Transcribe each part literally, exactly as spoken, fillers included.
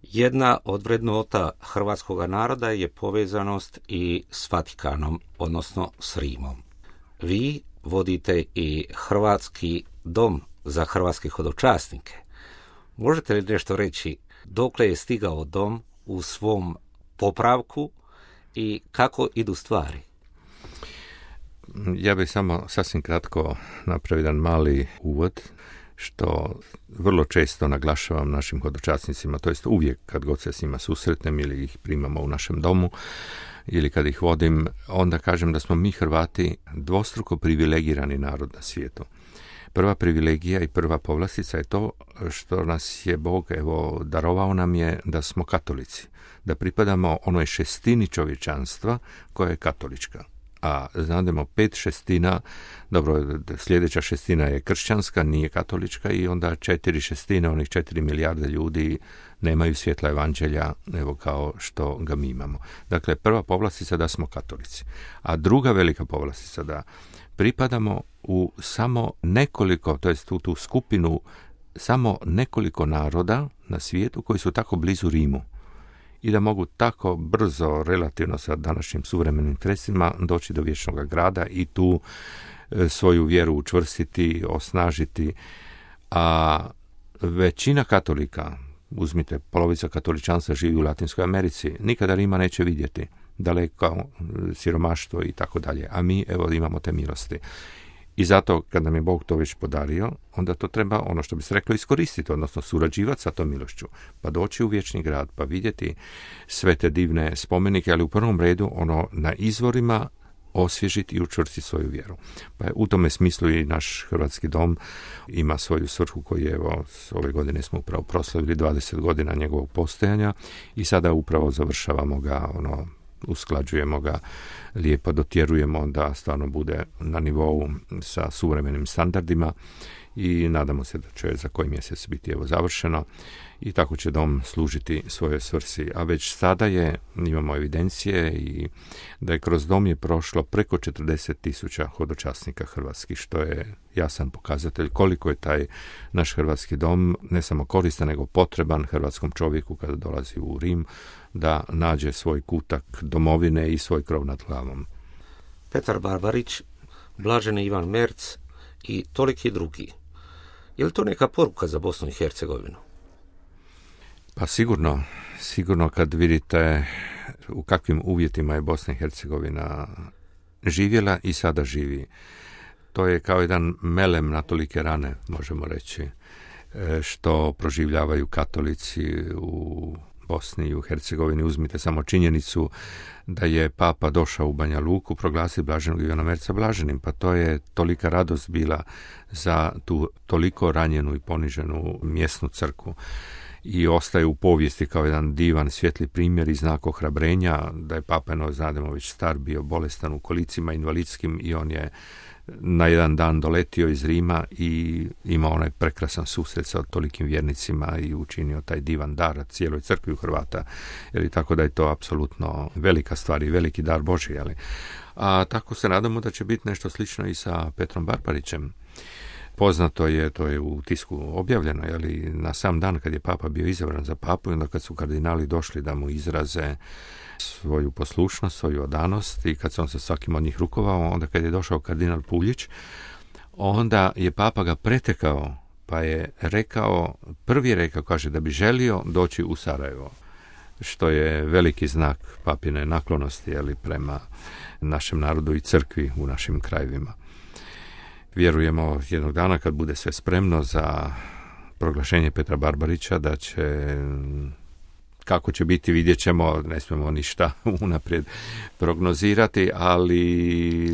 Jedna od vrednota hrvatskog naroda je povezanost i s Vatikanom, odnosno s Rimom. Vi vodite i Hrvatski dom za hrvatske hodočasnike. Možete li nešto reći dokle je stigao dom u svom popravku i kako idu stvari? Ja bih samo sasvim kratko napravio jedan mali uvod, što vrlo često naglašavam našim hodočasnicima, to jest uvijek kad god se s njima susretnem ili ih primamo u našem domu ili kad ih vodim, onda kažem da smo mi Hrvati dvostruko privilegirani narod na svijetu. Prva privilegija i prva povlastica je to što nas je Bog evo darovao nam je da smo katolici, da pripadamo onoj šestini čovječanstva koja je katolička. A znademo pet šestina, dobro, sljedeća šestina je kršćanska, nije katolička i onda četiri šestine, onih četiri milijarde ljudi nemaju svjetla evanđelja, evo kao što ga mi imamo. Dakle, prva povlastica da smo katolici. A druga velika povlastica da pripadamo u samo nekoliko, to jest u tu skupinu, samo nekoliko naroda na svijetu koji su tako blizu Rimu i da mogu tako brzo, relativno sa današnjim suvremenim sredstvima, doći do vječnog grada i tu e, svoju vjeru učvrstiti, osnažiti. A većina katolika, uzmite, polovica katoličanstva živi u Latinskoj Americi, nikada Rima neće vidjeti, daleko, siromaštvo i tako dalje. A mi, evo, imamo te milosti. I zato, kad nam je Bog to već podario, onda to treba, ono što bi se reklo, iskoristiti, odnosno surađivati sa tom milošću, pa doći u vječni grad, pa vidjeti sve te divne spomenike, ali u prvom redu ono na izvorima osvježiti i učvrstiti svoju vjeru. Pa u tome smislu i naš Hrvatski dom ima svoju svrhu koju evo ove godine smo upravo proslavili dvadeset godina njegovog postojanja i sada upravo završavamo ga, ono, usklađujemo ga, lijepo dotjerujemo da stvarno bude na nivou sa suvremenim standardima i nadamo se da će za koji mjesec biti evo završeno i tako će dom služiti svojoj svrsi. A već sada je, imamo evidencije i da je kroz dom je prošlo preko četrdeset tisuća hodočasnika hrvatskih, što je jasan pokazatelj koliko je taj naš Hrvatski dom ne samo koristan, nego potreban hrvatskom čovjeku kada dolazi u Rim da nađe svoj kutak domovine i svoj krov nad glavom. Petar Barbarić, blaženi Ivan Merc i toliki drugi. Je li to neka poruka za Bosnu i Hercegovinu? Pa sigurno, sigurno kad vidite u kakvim uvjetima je Bosna i Hercegovina živjela i sada živi. To je kao jedan melem na tolike rane, možemo reći, što proživljavaju katolici u Bosni i u Hercegovini. Uzmite samo činjenicu da je Papa došao u Banja Luku proglasiti blaženog Ivana Merca blaženim, pa to je tolika radost bila za tu toliko ranjenu i poniženu mjesnu crkvu. I ostaje u povijesti kao jedan divan svijetli primjer i znak ohrabrenja da je Papa, no, znademo, već star, bio bolestan u kolicima invalidskim i on je na jedan dan doletio iz Rima i imao onaj prekrasan susret sa tolikim vjernicima i učinio taj divan dar cijeloj crkvi u Hrvata. Jer tako da je to apsolutno velika stvar i veliki dar Božji. Ali. A tako se nadamo da će biti nešto slično i sa Petrom Barbarićem. Poznato je, to je u tisku objavljeno, jeli, na sam dan kad je Papa bio izabran za papu i onda kad su kardinali došli da mu izraze svoju poslušnost, svoju odanost i kad se on sa svakim od njih rukovao, onda kad je došao kardinal Puljić, onda je Papa ga pretekao, pa je rekao, prvi je rekao, kaže, da bi želio doći u Sarajevo, što je veliki znak papine naklonosti, jeli, prema našem narodu i crkvi u našim krajevima. Vjerujemo jednog dana kad bude sve spremno za proglašenje Petra Barbarića da će, kako će biti, vidjet ćemo, ne smijemo ništa unaprijed prognozirati, ali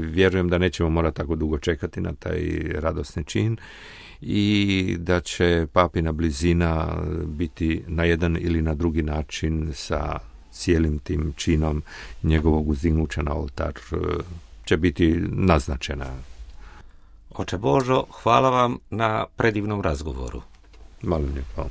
vjerujem da nećemo morati tako dugo čekati na taj radosni čin i da će papina blizina biti na jedan ili na drugi način sa cijelim tim činom njegovog uzdignuća na oltar će biti naznačena. Oče Božo, hvala vam na predivnom razgovoru. Molim lijepo.